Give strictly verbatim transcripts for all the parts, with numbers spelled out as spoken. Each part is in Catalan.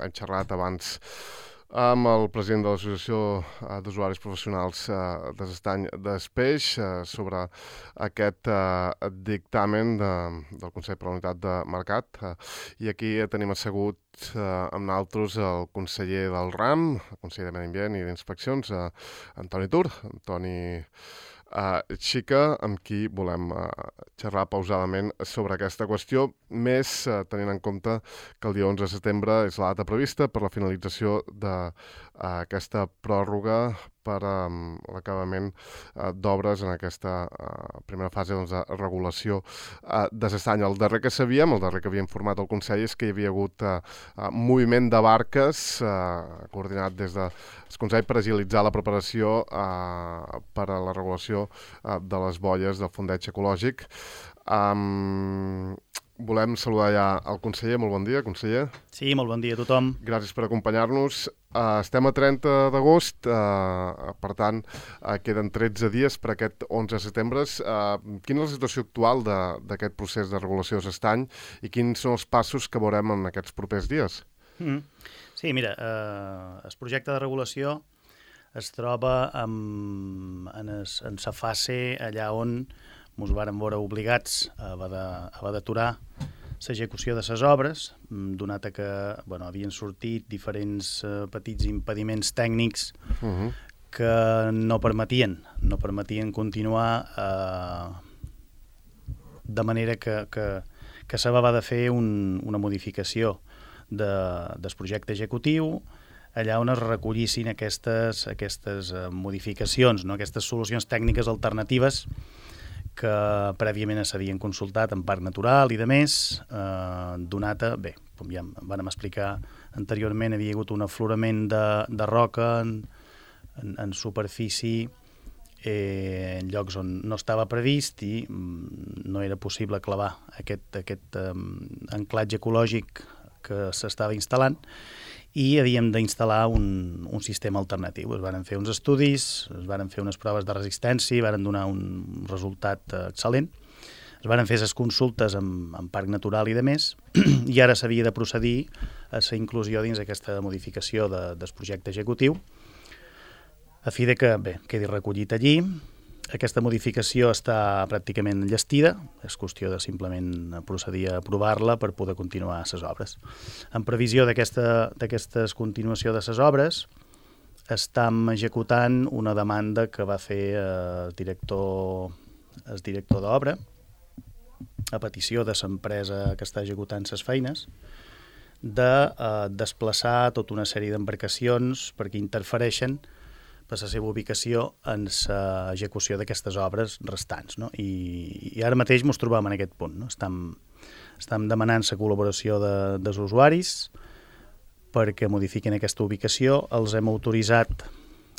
hem xerrat abans amb el president de l'Associació d'Usuaris Professionals de l'Estany d'Espeix sobre aquest dictamen de, del Consell per la Unitat de Mercat. I aquí tenim assegut amb nosaltres el conseller del RAM, el conseller de Medi Ambient i d'Inspeccions, Antoni Tur, Antoni Uh, Xica, amb qui volem uh, xerrar pausadament sobre aquesta qüestió, més uh, tenint en compte que el dia onze de setembre és la data prevista per la finalització d'aquesta uh, pròrroga per um, l'acabament uh, d'obres en aquesta uh, primera fase doncs, de regulació uh, de l'estany. El darrer que sabíem, el darrer que havia informat el Consell, és que hi havia hagut uh, uh, moviment de barques uh, coordinat des del Consell per agilitzar la preparació uh, per a la regulació uh, de les bolles del fondeig ecològic. Um, volem saludar ja el conseller. Molt bon dia, conseller. Sí, molt bon dia a tothom. Gràcies per acompanyar-nos. Uh, estem a trenta d'agost, uh, per tant, uh, queden tretze dies per aquest onze de setembre. Uh, quina és la situació actual d'aquest procés de regulació de l'estany i quins són els passos que veurem en aquests propers dies? Mm. Sí, mira, eh, el projecte de regulació es troba en, en, es, en sa fase allà on ens vàrem veure obligats a haver d'aturar l'execució de les obres, donat que bueno, havien sortit diferents eh, petits impediments tècnics uh-huh. que no permetien, no permetien continuar eh, de manera que, que, que s'havia de fer un, una modificació de, del projecte executiu, allà on es recollissin aquestes, aquestes eh, modificacions, no? Aquestes solucions tècniques alternatives que prèviament s'havien consultat en Parc Natural i de més, eh, donat a, bé, com ja vam explicar anteriorment, havia hagut un aflorament de, de roca en, en, en superfície eh, en llocs on no estava previst i mm, no era possible clavar aquest, aquest eh, anclatge ecològic que s'estava instal·lant i havíem d'instal·lar un, un sistema alternatiu. Es van fer uns estudis, es van fer unes proves de resistència, van donar un resultat excel·lent, es van fer les consultes amb, amb Parc Natural i de més, i ara s'havia de procedir a la inclusió dins aquesta modificació de, del projecte executiu, a fi de que, bé, quedi recollit allí. Aquesta modificació està pràcticament enllestida, és qüestió de simplement procedir a aprovar-la per poder continuar les obres. En previsió d'aquesta continuació de les obres, estem executant una demanda que va fer el director, el director d'obra, a petició de l'empresa que està executant les feines, de eh, desplaçar tota una sèrie d'embarcacions perquè interfereixen per la seva ubicació en l'execució d'aquestes obres restants. No? I, I ara mateix ens trobem en aquest punt. No? Estem, estem demanant la col·laboració de, dels usuaris perquè modifiquin aquesta ubicació. Els hem autoritzat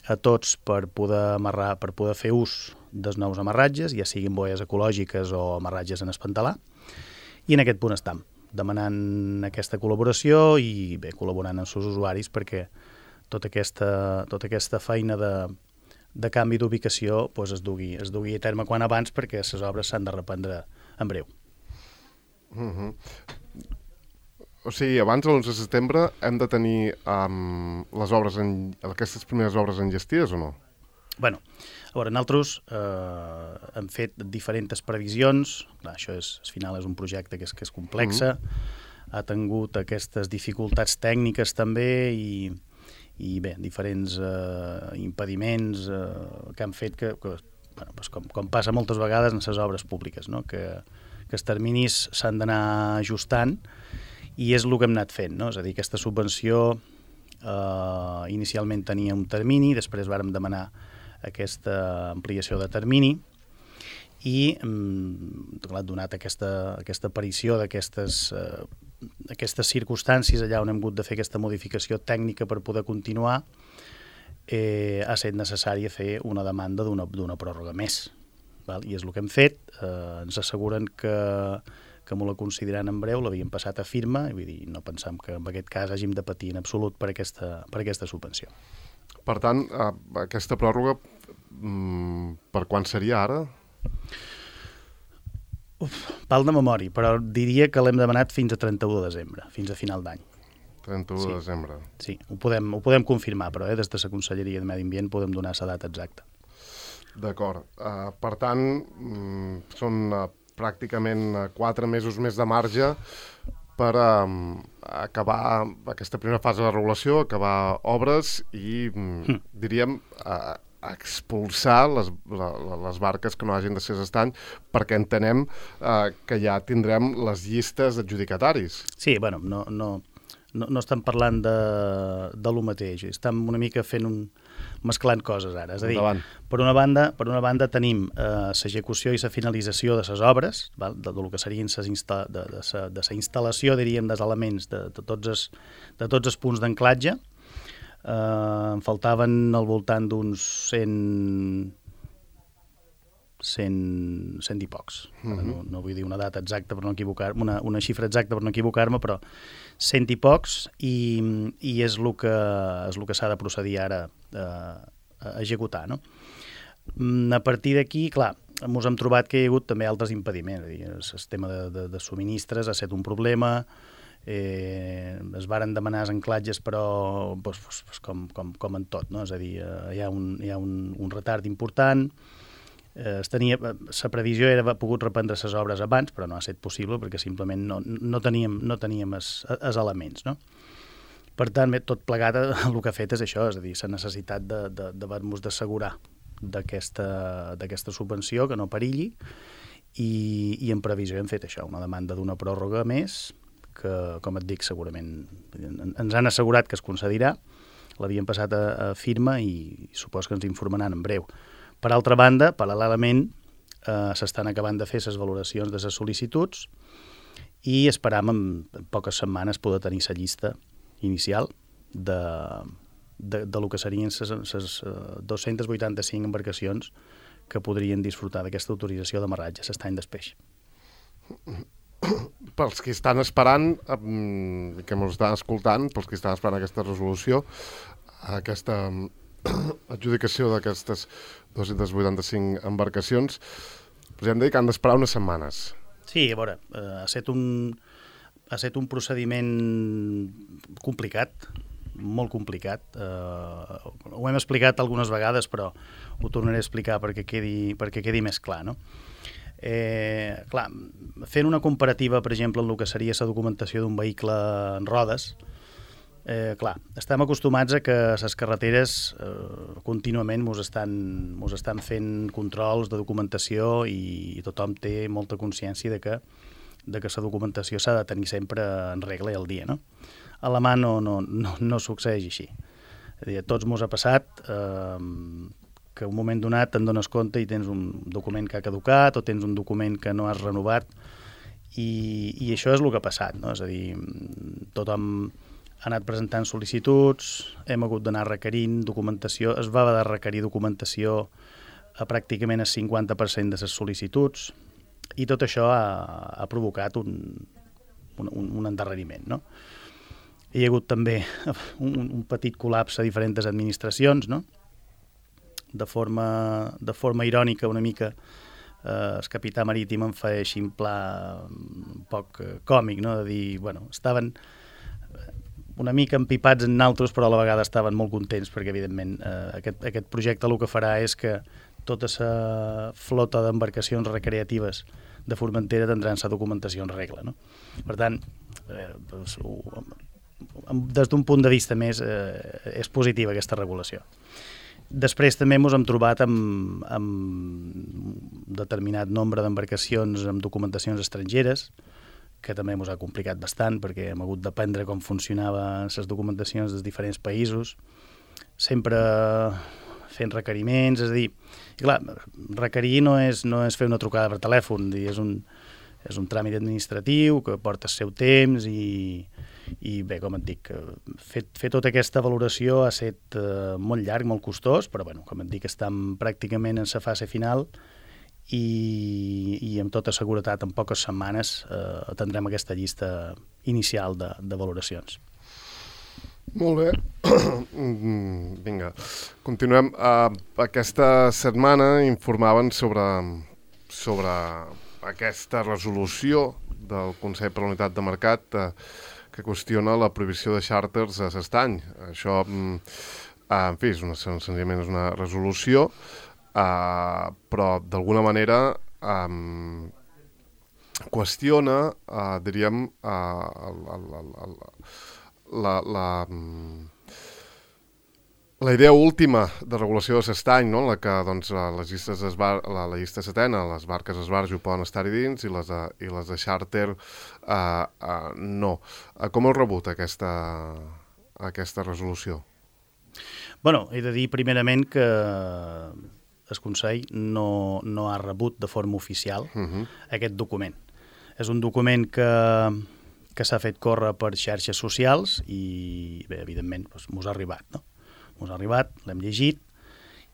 a tots per poder amarrar, per poder fer ús dels nous amarratges, ja siguin boies ecològiques o amarratges en espantalar. I en aquest punt estem, demanant aquesta col·laboració i bé, col·laborant amb els usuaris perquè tota aquesta, tota aquesta feina de, de canvi d'ubicació pues, es, dugui, es dugui a terme quan abans perquè les obres s'han de reprendre en breu. Uh-huh. O sigui, abans de l'onze de setembre hem de tenir um, les obres en, aquestes primeres obres enllestides o no? Bueno, a veure, nosaltres eh, hem fet diferents previsions. Clar, això és, al final és un projecte que és, que és complexa, uh-huh. ha tingut aquestes dificultats tècniques també i i bé, diferents eh, impediments eh, que han fet que, que bueno, doncs com, com passa moltes vegades en les obres públiques, no? que, que els terminis s'han d'anar ajustant i és el que hem anat fent, no? És a dir, aquesta subvenció eh, inicialment tenia un termini, després vàrem demanar aquesta ampliació de termini i mm, donat aquesta, aquesta aparició d'aquestes eh, aquestes circumstàncies allà on hem hagut de fer aquesta modificació tècnica per poder continuar, eh, ha estat necessari fer una demanda d'una d'una pròrroga més. Val? I és el que hem fet. Eh, ens asseguren que, que m'ho la consideraran en breu, l'havien passat a firma, i vull dir, no pensam que en aquest cas hàgim de patir en absolut per aquesta, per aquesta subvenció. Per tant, eh, aquesta pròrroga, mm, per quan seria ara? Uf, pal de memòria, però diria que l'hem demanat fins a trenta-u de desembre, fins a final d'any. trenta-u de desembre. Sí, ho podem, ho podem confirmar, però eh, des de la Conselleria de Medi Ambient podem donar la data exacta. D'acord. Uh, per tant, mm, són uh, pràcticament uh, quatre mesos més de marge per um, acabar aquesta primera fase de la regulació, acabar obres i, mm. diríem, uh, expulsar les, la, les barques que no hagin de ser d'estany, perquè entenem eh, que ja tindrem les llistes d'adjudicataris. Sí, bueno, no, no, no, no estem parlant de, de lo mateix, estem una mica fent un... mesclant coses ara, és a dir, Endavant. per una banda, per una banda tenim l'execució eh, i la finalització de les obres, val? De, de lo que serien ses insta de, de, sa, de la instal·lació, diríem, dels elements de, de, tots els, de tots els punts d'anclatge. Uh, em faltaven al voltant d'uns cent, cent, cent i pocs. Uh-huh. no, no vull dir una data exacta per no equivocar-me, una, una xifra exacta per no equivocar-me, però cent i pocs, i, i és el que, és el que s'ha de procedir ara uh, a executar. No? A partir d'aquí, clar, ens hem trobat que hi ha hagut també altres impediments. El sistema de, de, de subministres ha estat un problema. Eh, es varen demanar els anclatges, però pues, pues, com, com, com en tot, no? És a dir, eh, hi ha un, hi ha un, un retard important. Eh, es tenia, la previsió era haver pogut reprendre les obres abans, però no ha estat possible perquè simplement no, no teníem, no teníem els elements, no? Per tant, tot plegat el que ha fet és això, és a dir, la necessitat d'haver-nos d'assegurar d'aquesta subvenció, que no perilli, i, i en previsió hem fet això, una demanda d'una pròrroga més, que, com et dic, segurament ens han assegurat que es concedirà, l'havien passat a, a firma i supos que ens informaran en breu. Per altra banda, paral·lelament, eh, s'estan acabant de fer les valoracions de les sol·licituds i esperam en, en poques setmanes poder tenir la llista inicial de, de, de lo que serien les dos-centes vuitanta-cinc embarcacions que podrien disfrutar d'aquesta autorització d'amarratge l'estany d'espeix. Pels que estan esperant, eh, que ens estan escoltant, pels que estan esperant aquesta resolució, aquesta adjudicació d'aquestes dos-centes vuitanta-cinc embarcacions, podríem dir que han d'esperar unes setmanes. Sí, a veure, eh, ha estat un, ha estat un procediment complicat, molt complicat. Eh, ho hem explicat algunes vegades, però ho tornaré a explicar perquè quedi, perquè quedi més clar, no? Eh, clar, fent una comparativa, per exemple, en el que seria la documentació d'un vehicle en rodes, eh, clar, estem acostumats a que les carreteres eh, contínuament mos estan, mos estan fent controls de documentació i, i tothom té molta consciència de que de que la documentació s'ha de tenir sempre en regla i al dia, no? A la mà no, no, no, no succeeix així. És a dir, a tots mos ha passat eh, que en un moment donat te'n dones compte i tens un document que ha caducat o tens un document que no has renovat i, i això és el que ha passat, no? És a dir, tothom ha anat presentant sol·licituds, hem hagut d'anar requerint documentació, es va haver de requerir documentació a pràcticament el cinquanta per cent de les sol·licituds i tot això ha, ha provocat un, un, un endarreriment, no? Hi ha hagut també un, un petit col·lapse a diferents administracions, no? De forma, de forma irònica una mica, eh, el capità marítim em fa així en pla un poc eh, còmic, no? De dir, bueno, estaven una mica empipats en naltros, però a la vegada estaven molt contents perquè, evidentment, eh, aquest, aquest projecte el que farà és que tota la flota d'embarcacions recreatives de Formentera tindran la documentació en regla, no? Per tant, eh, doncs, des d'un punt de vista més, eh, és positiva aquesta regulació. Després també ens hem trobat amb, amb un determinat nombre d'embarcacions amb documentacions estrangeres, que també ens ha complicat bastant perquè hem hagut d'aprendre com funcionaven les documentacions dels diferents països, sempre fent requeriments, és a dir, i clar, requerir no és, no és fer una trucada per telèfon, és un, és un tràmit administratiu que porta el seu temps i, i bé, com et dic, fer, fer tota aquesta valoració ha estat eh, molt llarg, molt costós, però bueno, com et dic, estem pràcticament en la fase final i, i amb tota seguretat en poques setmanes eh, tindrem aquesta llista inicial de, de valoracions. Molt bé. Vinga, continuem. Uh, aquesta setmana informaven sobre, sobre aquesta resolució del Consell per la Unitat de Mercat uh, que qüestiona la prohibició de xàrters a l'estany. Això, en fi, és una, senzillament és una resolució, uh, però d'alguna manera um, qüestiona, uh, diríem, uh, el, el, el, el, la... la La idea última de regulació de l'estany, no? En la que doncs, les llistes bar... la, la llista setena, les barques esbarjo poden estar-hi dins i les de, i les de xàrter uh, uh, no. Uh, com heu rebut aquesta, aquesta resolució? Bueno, he de dir primerament que el Consell no, no ha rebut de forma oficial uh-huh. aquest document. És un document que, que s'ha fet córrer per xarxes socials i, bé, evidentment, doncs, mos ha arribat, no? Mos ha arribat, l'hem llegit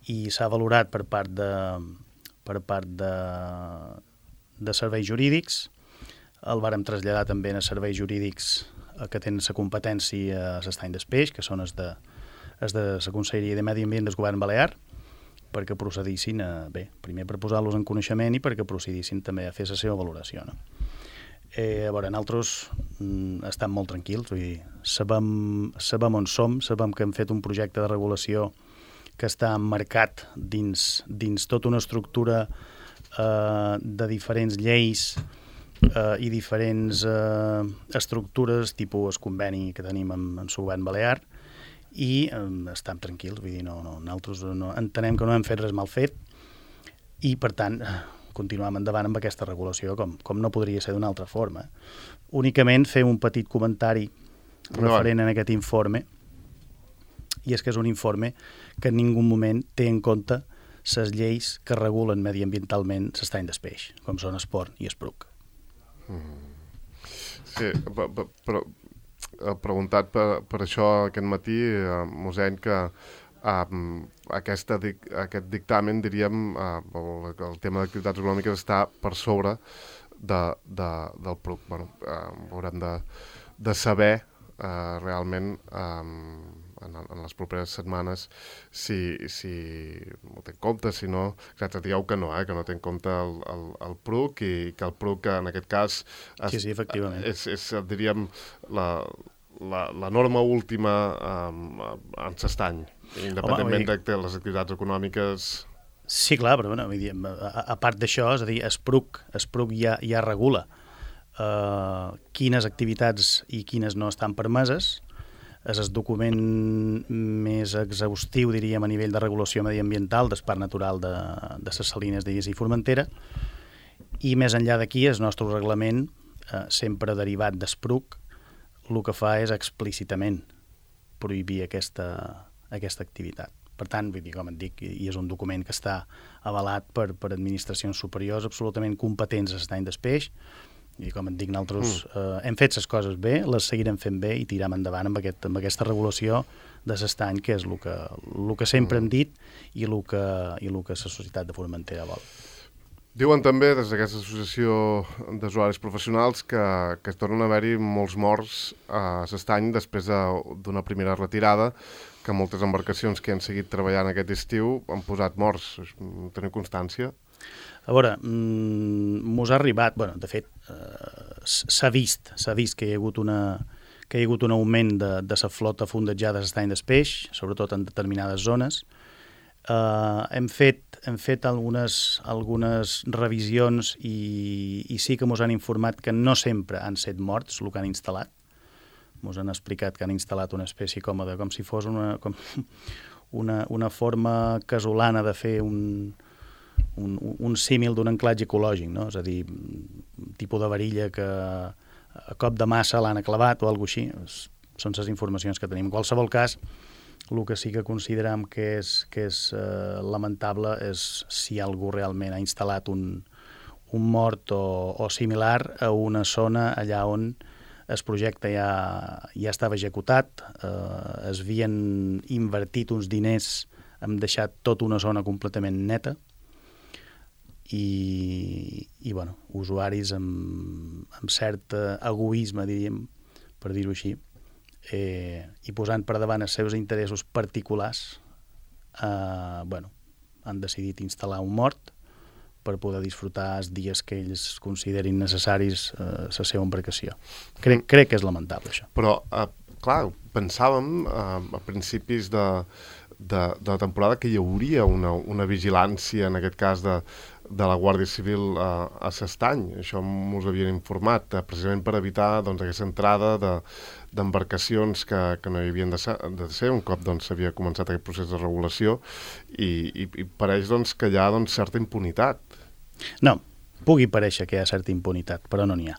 i s'ha valorat per part de, per part de, de serveis jurídics. El vàrem traslladar també a serveis jurídics que tenen la competència a l'estany d'Espeix, que són els de, els de la Conselleria de Medi Ambient del Govern Balear, perquè procedissin a, bé, primer per posar-los en coneixement i perquè procedissin també a fer la seva valoració, no? Eh, a veure, nosaltres mm, estem molt tranquils, vull dir, sabem, sabem on som, sabem que hem fet un projecte de regulació que està emmarcat dins, dins tota una estructura eh, de diferents lleis eh, i diferents eh, estructures, tipus el conveni que tenim amb, amb el govern balear, i eh, estem tranquils, vull dir, no, no, nosaltres no, entenem que no hem fet res mal fet i, per tant, continuem endavant amb aquesta regulació, com, com no podria ser d'una altra forma. Únicament fer un petit comentari referent a aquest informe, i és que és un informe que en ningú moment té en compte les lleis que regulen mediambientalment l'estany d'Espeix, com són Esport i Espruc. Mm. Sí, però he preguntat per, per això aquest matí, eh, mossèn, que Um, aquesta, aquest dictamen, diríem, uh, el, el tema d'activitats econòmiques està per sobre de, de, del P R U C. Bueno, uh, haurem de, de saber uh, realment um, en, en les properes setmanes si, si ho té en compte, si no, exacte, digueu que no, eh, que no té en compte el, el, el P R U C i que el P R U C en aquest cas es, sí, sí, efectivament. és, és, diríem, la, la, la norma última um, en l'estany. Independentment Home, de les activitats econòmiques... Sí, clar, però bueno, vull dir, a, a part d'això, és a dir, es P R U C, es P R U C ja, ja regula uh, quines activitats i quines no estan permeses. És el document més exhaustiu, diríem, a nivell de regulació mediambiental del Parc Natural de, de les Salines d'Illes i Formentera. I més enllà d'aquí, el nostre reglament, uh, sempre derivat del P R U C, el que fa és explícitament prohibir aquesta... aquesta activitat. Per tant, vull dir, com et dic, i és un document que està avalat per, per administracions superiors absolutament competents a l'estany d'Espeix, i com et dic, nosaltres mm. eh, hem fet les coses bé, les seguirem fent bé i tirem endavant amb, aquest, amb aquesta regulació de l'estany, que és el que, el que sempre mm. hem dit i el que, i el que la societat de Formentera vol. Diuen també, des d'aquesta associació d'usuaris professionals, que, que es tornen a haver-hi molts morts a l'estany després d'una de, primera retirada, que moltes embarcacions que han seguit treballant aquest estiu han posat morts. Teniu constància? A veure, mos ha arribat, bueno, de fet, eh, s'ha vist, s'ha vist que hi ha hagut una que hi ha hagut un augment de, de la flota fondejada a l'estany d'Espeix, sobretot en determinades zones. Uh, hem fet, hem fet algunes, algunes revisions i, i sí que ens han informat que no sempre han set morts el que han instal·lat. Ens han explicat que han instal·lat una espècie com, de, com si fos una, com una, una forma casolana de fer un, un, un símil d'un anclatge ecològic, no? És a dir, un tipus de varilla que a cop de massa l'han clavat o alguna cosa així. Són les informacions que tenim. En qualsevol cas, el que sí que considerem que és, que és eh, lamentable és si algú realment ha instal·lat un, un mort o, o similar a una zona allà on el projecte ja, ja estava executat, eh, es havien invertit uns diners, hem deixat tota una zona completament neta i, i bueno, usuaris amb, amb cert egoisme, diríem, per dir-ho així, eh, i posant per davant els seus interessos particulars, eh, bueno, han decidit instal·lar un mort per poder disfrutar els dies que ells considerin necessaris eh, la seva embarcació. Crec, crec que és lamentable, això. Però, eh, clar, pensàvem eh, a principis de, de, de la temporada que hi hauria una, una vigilància, en aquest cas, de, de la Guàrdia Civil a, a l'Estany. Això mos havien informat, eh, precisament per evitar doncs, aquesta entrada de d'embarcacions que, que no hi havien de ser, de ser un cop doncs, s'havia començat aquest procés de regulació i, i, i pareix doncs, que hi ha doncs, certa impunitat. No, pugui parèixer que hi ha certa impunitat, però no n'hi ha.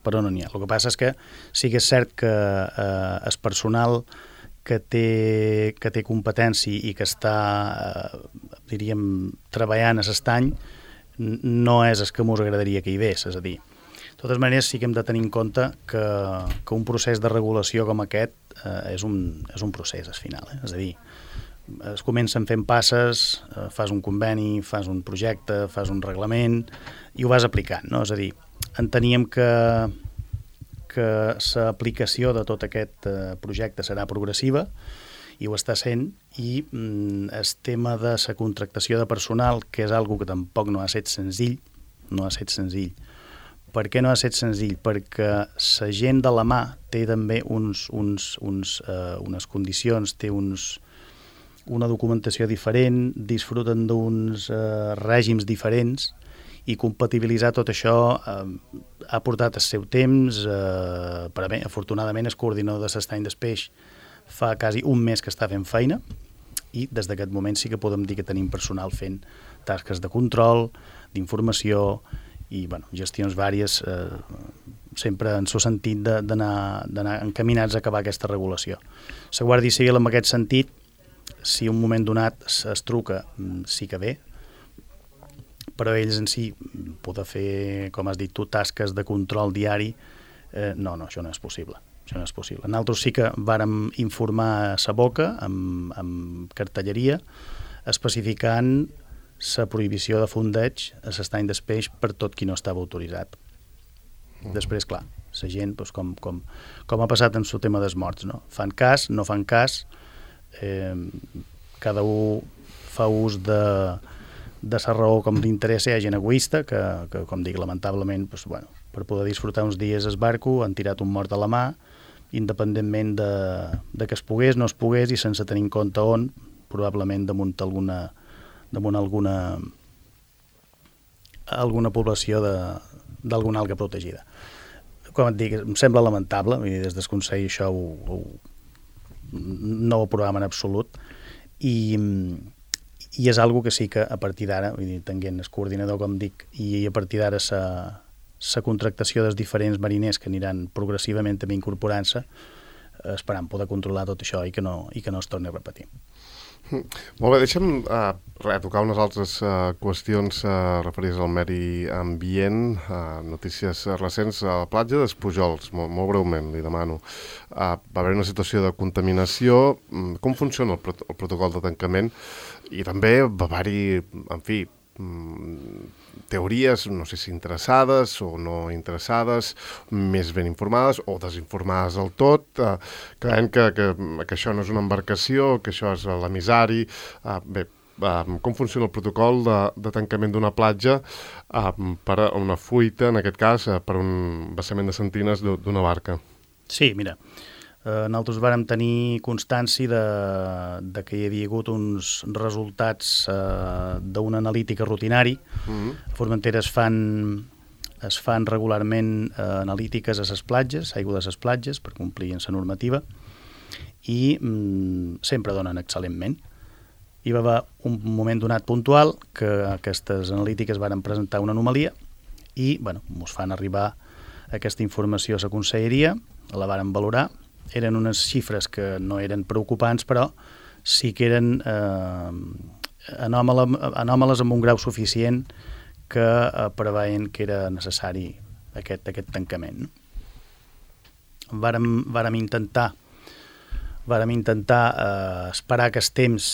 Però no n'hi ha. El que passa és que sí que és cert que eh, el personal que té, que té competència i que està, eh, diríem, treballant a l'estany no és el que mos agradaria que hi vés, és a dir, de totes maneres, sí que hem de tenir en compte que, que un procés de regulació com aquest eh, és, un, és un procés, al final. Eh? És a dir, es comencen fent passes, eh, fas un conveni, fas un projecte, fas un reglament i ho vas aplicant, no? És a dir, enteníem que, que l'aplicació de tot aquest eh, projecte serà progressiva i ho està sent, i mm, el tema de la contractació de personal, que és algo que tampoc no ha estat senzill, no ha estat senzill. Per què no ha estat senzill? Perquè la gent de la mà té també uns, uns, uns, eh, unes condicions, té uns, una documentació diferent, disfruten d'uns eh, règims diferents, i compatibilitzar tot això eh, ha portat el seu temps. Eh, per a bé, afortunadament, el coordinador de l'Estany del Peix fa quasi un mes que està fent feina, i des d'aquest moment sí que podem dir que tenim personal fent tasques de control, d'informació, i bueno, gestions vàries, eh, sempre en el sentit d'anar encaminats a acabar aquesta regulació. La Guàrdia Civil, en aquest sentit, si un moment donat es truca, sí que ve, però ells en si poden fer, com has dit tu, tasques de control diari, eh, no, no, això no és possible. Això no és possible. Nosaltres sí que vàrem informar a sa boca, amb, amb cartelleria, especificant la prohibició de fondeig a l'estany del Peix per tot qui no estava autoritzat. Mm. Després, clar, la gent, doncs, com, com, com ha passat en el tema dels morts, no? Fan cas, no fan cas, eh, cada un fa ús de, de la raó com l'interessa. Hi ha gent egoista que, que com dic, lamentablement, doncs, bueno, per poder disfrutar uns dies al barco han tirat un mort a la mà, independentment de, de que es pogués, no es pogués, i sense tenir en compte on, probablement damunt alguna damunt alguna alguna població d'alguna alga protegida. Com et dic, em sembla lamentable, vull dir, des del Consell això ho, ho, no ho aprovem en absolut, i, i és algo que sí que a partir d'ara, vull dir, tenint el coordinador, com dic, i a partir d'ara la la contractació dels diferents mariners que aniran progressivament també incorporant-se, esperant poder controlar tot això i que no, i que no es torni a repetir. Molt bé, deixa'm uh, tocar unes altres uh, qüestions uh, referides al medi ambient, uh, notícies recents. A la platja dels Pujols, molt, molt breument, li demano. Uh, va haver una situació de contaminació. Com funciona el, prot el protocol de tancament? I també va haver-hi, en fi, teories, no sé si interessades o no interessades, més ben informades o desinformades del tot, eh, creient que, que, que això no és una embarcació, que això és l'emissari. Eh, bé, eh, com funciona el protocol de, de tancament d'una platja eh, per a una fuita, en aquest cas, eh, per un vessament de centines d'una barca? Sí, mira, eh, nosaltres vàrem tenir constància de, de que hi havia hagut uns resultats eh, d'una analítica rutinari. Mm-hmm. A Formentera es fan, es fan regularment eh, analítiques a les platges, aigua de les platges, per complir amb la normativa, i mm, sempre donen excel·lentment. Hi va haver un moment donat puntual que aquestes analítiques varen presentar una anomalia i, bueno, ens fan arribar aquesta informació a la conselleria, la varen valorar. Eren unes xifres que no eren preocupants, però sí que eren eh, anòmales, anòmales amb un grau suficient que eh, preveien que era necessari aquest, aquest tancament. Vàrem, vàrem intentar, vàrem intentar eh, esperar que el temps,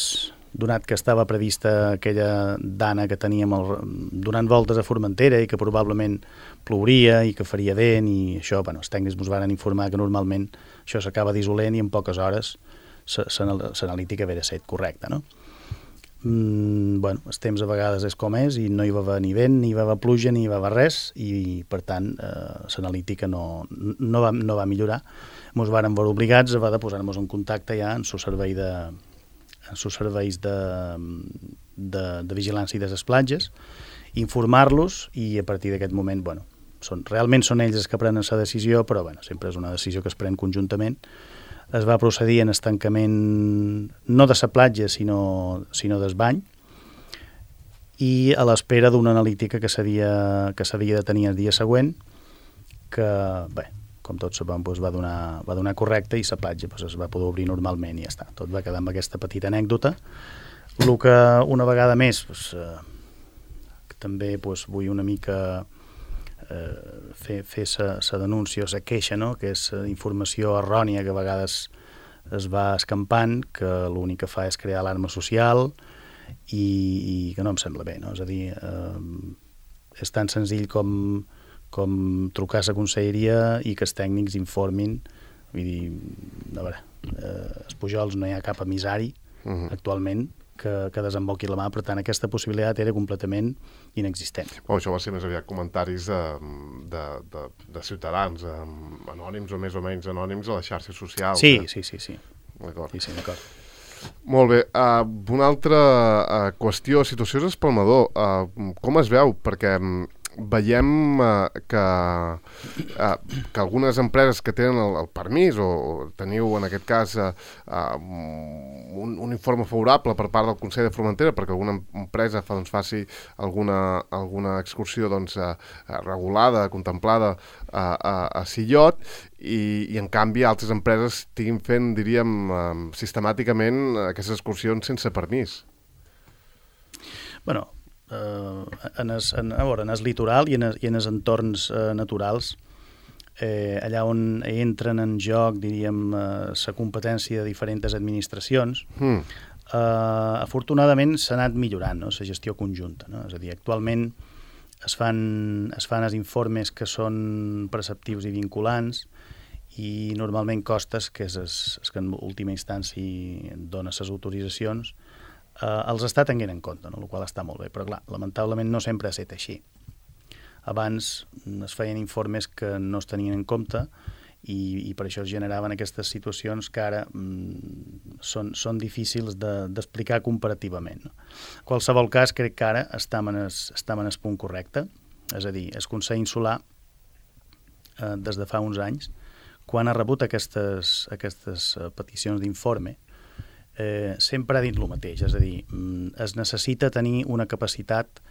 donat que estava prevista aquella dana que teníem el, donant voltes a Formentera i que probablement plouria i que faria vent, i això, bueno, els tècnics ens van informar que normalment això s'acaba dissolent i en poques hores l'analítica ve de set correcta, no? mm, bueno, el temps a vegades és com és i no hi va haver ni vent, ni hi va haver pluja, ni hi va haver res i, per tant, eh, l'analítica no, no, va, no va millorar. Ens vàrem veure obligats a de posar-nos en contacte ja en el servei de en els serveis de, de, de vigilància de les platges, informar-los i a partir d'aquest moment, bueno, són, realment són ells els que prenen la decisió, però bueno, sempre és una decisió que es pren conjuntament. Es va procedir en el tancament no de la platja, sinó, sinó del bany, i a l'espera d'una analítica que s'havia que s'havia de tenir el dia següent, que, bé, com tots sabem, doncs va, donar, va donar correcte i la platja doncs, es va poder obrir normalment i ja està. Tot va quedar amb aquesta petita anècdota. El que una vegada més doncs, eh, també doncs, vull una mica eh, fer, fer la denúncia o la queixa, no? Que és informació errònia que a vegades es va escampant, que l'únic que fa és crear alarma social i, i que no em sembla bé, no? És a dir, eh, és tan senzill com, com trucar a la conselleria i que els tècnics informin. Vull dir, a veure, eh, els Pujols no hi ha cap emissari uh-huh. actualment que, que desemboqui la mà, per tant aquesta possibilitat era completament inexistent. Oh, això va ser més aviat comentaris de, de, de, de ciutadans, eh, anònims o més o menys anònims a les xarxes socials. Sí, eh? sí, sí, sí. D'acord. Sí, sí, d'acord. Molt bé. Uh, una altra uh, qüestió, situació és espalmador. Uh, com es veu? Perquè um, veiem uh, que, uh, que algunes empreses que tenen el, el permís, o, o teniu en aquest cas uh, uh, un, un informe favorable per part del Consell de Formentera perquè alguna empresa fa, doncs, faci alguna, alguna excursió doncs, uh, regulada, contemplada uh, a, a Sillot, i, i en canvi altres empreses estiguin fent, diríem, uh, sistemàticament aquestes excursions sense permís. Bueno, Uh, en, es, en, a veure, en el litoral i en, es, i en els entorns uh, naturals, eh, allà on entren en joc, diríem, uh, la competència de diferents administracions, mm. uh, afortunadament s'ha anat millorant, no?, la gestió conjunta, no? És a dir, actualment es fan, es fan els informes que són preceptius i vinculants i normalment costes, que és es, es que en última instància dona les autoritzacions, Uh, els està tenint en compte, no? El qual està molt bé, però clar, lamentablement no sempre ha estat així. Abans es feien informes que no es tenien en compte i, i per això es generaven aquestes situacions que ara mm, són, són difícils d'explicar de, comparativament, no? En qualsevol cas, crec que ara estem en el, estem en el punt correcte, és a dir, el Consell Insular, eh, des de fa uns anys, quan ha rebut aquestes, aquestes peticions d'informe, Eh, sempre ha dit el mateix, és a dir, es necessita tenir una capacitat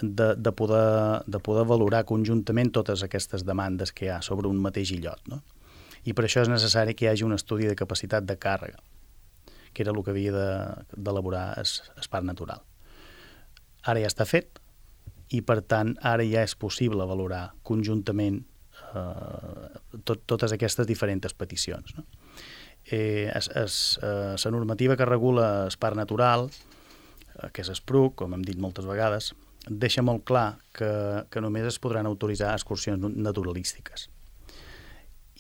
de, de, poder, de poder valorar conjuntament totes aquestes demandes que hi ha sobre un mateix illot, no? I per això és necessari que hi hagi un estudi de capacitat de càrrega, que era el que havia d'elaborar de, el parc natural. Ara ja està fet i, per tant, ara ja és possible valorar conjuntament eh, tot, totes aquestes diferents peticions, no? Eh, es, es, eh, la normativa que regula el parc natural, eh, que és el S P R U C, com hem dit moltes vegades, deixa molt clar que, que només es podran autoritzar excursions naturalístiques.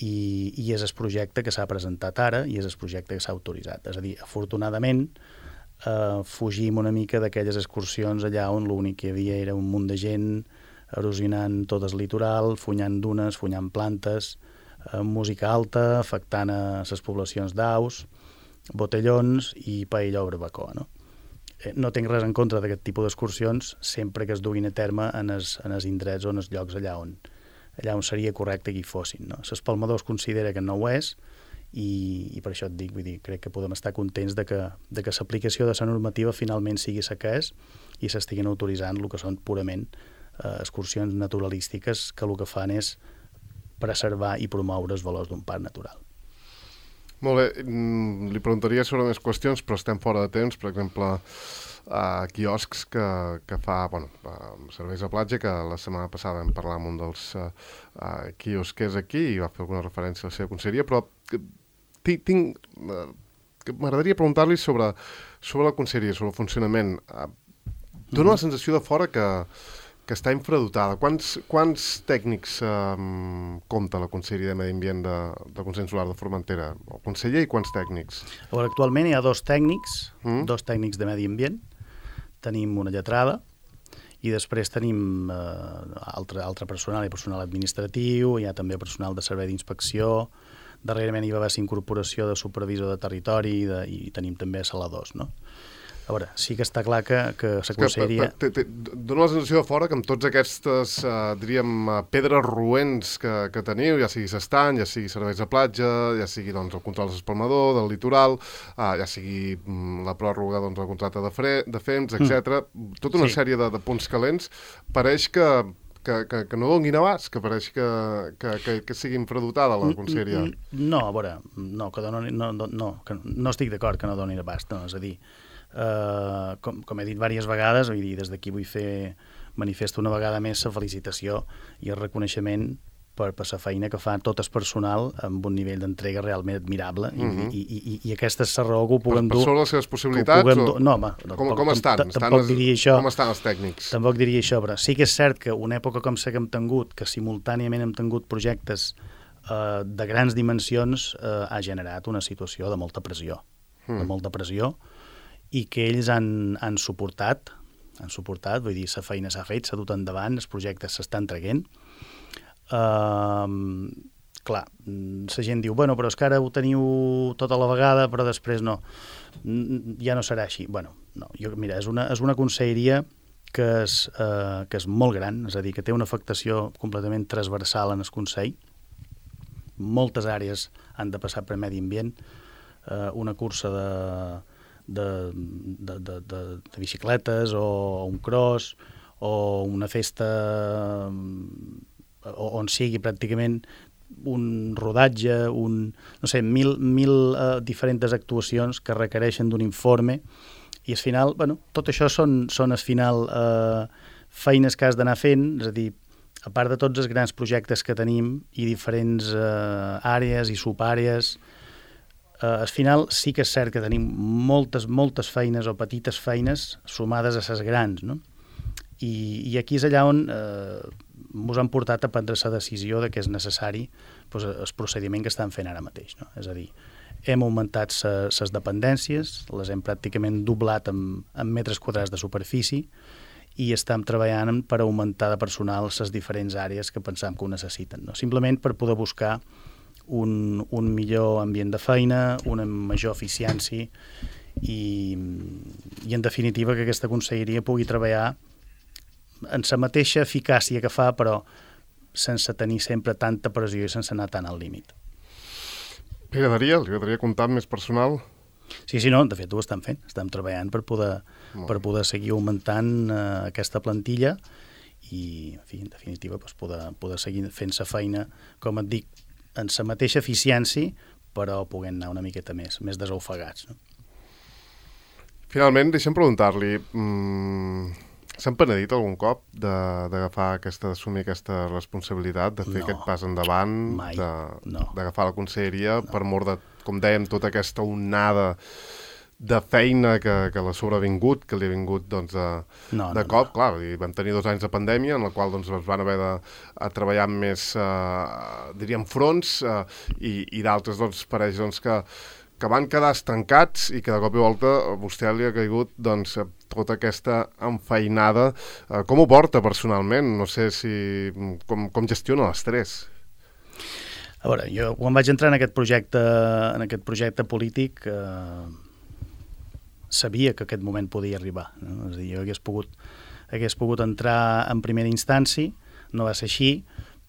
I, i és el projecte que s'ha presentat ara i és el projecte que s'ha autoritzat. És a dir, afortunadament, eh, fugim una mica d'aquelles excursions allà on l'únic que hi havia era un munt de gent erosionant tot el litoral, funyant dunes, funyant plantes, música alta, afectant a les poblacions d'aus, botellons i paella o barbacoa, no? Eh, no tinc res en contra d'aquest tipus d'excursions sempre que es duguin a terme en els, en els indrets o en els llocs allà on, allà on seria correcte que hi fossin, no? L'espalmador es considera que no ho és i, i per això et dic, vull dir, crec que podem estar contents de que, de que l'aplicació de la normativa finalment sigui la que és i s'estiguin autoritzant el que són purament eh, excursions naturalístiques que el que fan és preservar i promoure els valors d'un parc natural. Molt bé, li preguntaria sobre més qüestions, però estem fora de temps. Per exemple, uh, quioscs que, que fa, bueno, uh, serveis a platja, que la setmana passada vam parlar amb un dels uh, uh, quiosquers aquí i va fer alguna referència a la seva conselleria, però tinc, tinc, uh, m'agradaria preguntar-li sobre, sobre la conselleria, sobre el funcionament. Uh, dona la sensació de fora que que està infradotada. Quants, quants tècnics um, compta la Conselleria de Medi Ambient de, del Consell Solar de Formentera? El conseller i quants tècnics? Veure, actualment hi ha dos tècnics, mm? dos tècnics de Medi Ambient, tenim una lletrada, i després tenim eh, altre, altre personal, hi ha personal administratiu, hi ha també personal de servei d'inspecció, darrerament hi va haver incorporació de supervisor de territori i, de, i tenim també saladors, no? A veure, sí que està clar que, que s'aconseguiria... Dóna la sensació de fora que amb tots aquestes, uh, diríem, uh, pedres roents que, que teniu, ja sigui s'estany, ja sigui serveis de platja, ja sigui doncs, el control de l'espalmador, del litoral, uh, ja sigui um, la pròrroga doncs, del contracte de, fre, de F E M S, etcètera. Mm. Tota una sí. sèrie de, de punts calents. Pareix que, que, que, que no donin abast, que pareix que, que, que, que sigui infradotada la conselleria. No, a veure, no, que doni, no, no, no, que no estic d'acord que no donin abast, no, és a dir, Uh, com, com he dit diverses vegades, vull dir, des d'aquí vull fer manifesto una vegada més la felicitació i el reconeixement per, per la feina que fa tot el personal amb un nivell d'entrega realment admirable mm-hmm. i, i, i, i aquesta és la raó que ho puguem dur... Per sobre les seves possibilitats? O... No, home, com, com, com estan? Tampoc estan diria això. Com estan els tècnics? Tampoc diria això, però sí que és cert que una època com la que hem tingut, que simultàniament hem tingut projectes uh, de grans dimensions, uh, ha generat una situació de molta pressió, mm. de molta pressió, i que ells han, han suportat, han suportat, vull dir, la feina s'ha fet, s'ha dut endavant, els projectes s'estan traguent. Uh, clar, la gent diu, bueno, però és que ara ho teniu tota la vegada, però després no, ja no serà així. Bueno, no, jo, mira, és una, és una conselleria que és, uh, que és molt gran, és a dir, que té una afectació completament transversal en el Consell. Moltes àrees han de passar per medi ambient, uh, una cursa de... De, de, de, de, de bicicletes o un cross o una festa on sigui pràcticament un rodatge, un, no sé, mil, mil uh, diferents actuacions que requereixen d'un informe i al final, bueno, tot això són, són al final uh, feines que has d'anar fent, és a dir, a part de tots els grans projectes que tenim i diferents uh, àrees i subàrees, Uh, al final sí que és cert que tenim moltes, moltes feines o petites feines sumades a les grans, no? I, i aquí és allà on eh, ens han portat a prendre la decisió de que és necessari doncs, el procediment que estan fent ara mateix, no? És a dir, hem augmentat les dependències, les hem pràcticament doblat en, en metres quadrats de superfície i estem treballant per augmentar de personal les diferents àrees que pensam que ho necessiten, no? Simplement per poder buscar Un, un millor ambient de feina, una major eficiència i, i en definitiva que aquesta conselleria pugui treballar en la mateixa eficàcia que fa, però sense tenir sempre tanta pressió i sense anar tant al límit. Li agradaria, li agradaria comptar amb més personal? Sí, sí, no, de fet ho estem fent, estem treballant per poder, per poder seguir augmentant eh, aquesta plantilla i, en fi, en definitiva, doncs, poder, poder seguir fent la feina, com et dic, en la mateixa eficiència, però puguem anar una miqueta més, més desaufegats. No? Finalment, deixa'm preguntar-li, mmm, s'han penedit algun cop d'agafar aquesta, d'assumir aquesta responsabilitat, de fer no, aquest pas endavant, mai, d'agafar no. la conselleria, no. per mort de, com dèiem, tota aquesta onada de feina que, que l'ha sobrevingut, que li ha vingut doncs, de, no, de no, cop. No. Clar, vam tenir dos anys de pandèmia en la qual doncs, es van haver de a treballar amb més, eh, diríem, fronts eh, i, i d'altres doncs, pareix doncs, que, que van quedar estancats i que de cop i volta a vostè li ha caigut doncs, tota aquesta enfeinada. Eh, com ho porta personalment? No sé si com, com gestiona l'estrès. A veure, jo quan vaig entrar en aquest projecte, en aquest projecte polític... Eh... sabia que aquest moment podia arribar, no? És a dir, jo hagués pogut, hagués pogut entrar en primera instància, no va ser així,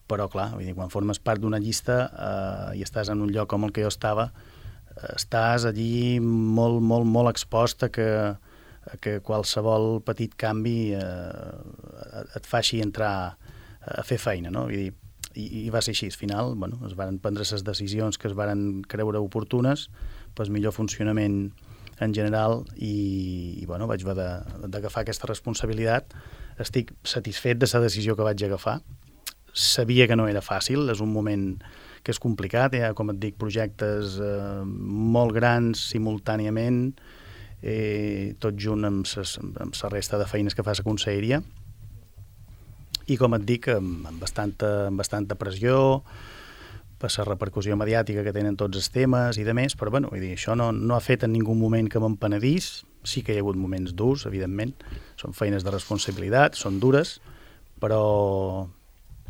però clar, vull dir, quan formes part d'una llista eh, i estàs en un lloc com el que jo estava, eh, estàs allí molt, molt, molt expost a que, a que qualsevol petit canvi eh, et faci entrar a fer feina, no? Vull dir, i, i va ser així, al final, bueno, es van prendre les decisions que es van creure oportunes, pues millor funcionament en general i, i bueno, vaig haver d'agafar aquesta responsabilitat. Estic satisfet de la decisió que vaig agafar. Sabia que no era fàcil, és un moment que és complicat, hi ha, com et dic, projectes eh, molt grans simultàniament, eh, tot junt amb, ses, amb la resta de feines que fa la conselleria, i com et dic, amb, amb, bastanta, amb bastanta pressió, per la repercussió mediàtica que tenen tots els temes i de més, però bueno, vull dir, això no, no ha fet en ningú moment que m'empenedís, sí que hi ha hagut moments durs, evidentment, són feines de responsabilitat, són dures, però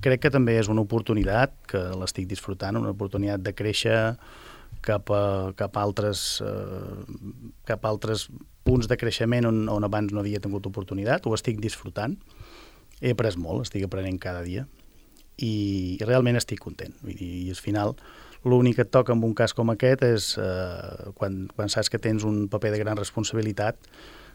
crec que també és una oportunitat, que l'estic disfrutant, una oportunitat de créixer cap a, cap a, altres, eh, cap a altres punts de creixement on, on abans no havia tingut oportunitat, ho estic disfrutant, he après molt, estic aprenent cada dia, i, i realment estic content. Vull dir, i al final l'únic que et toca en un cas com aquest és eh, quan, quan saps que tens un paper de gran responsabilitat,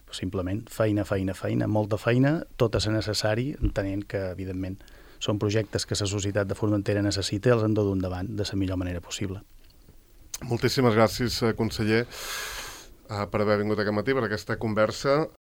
doncs simplement feina, feina, feina, molta feina, tot és necessari, entenent que, evidentment, són projectes que la societat de Formentera necessita i els han de dur endavant de la millor manera possible. Moltíssimes gràcies, conseller, per haver vingut aquest matí, per aquesta conversa.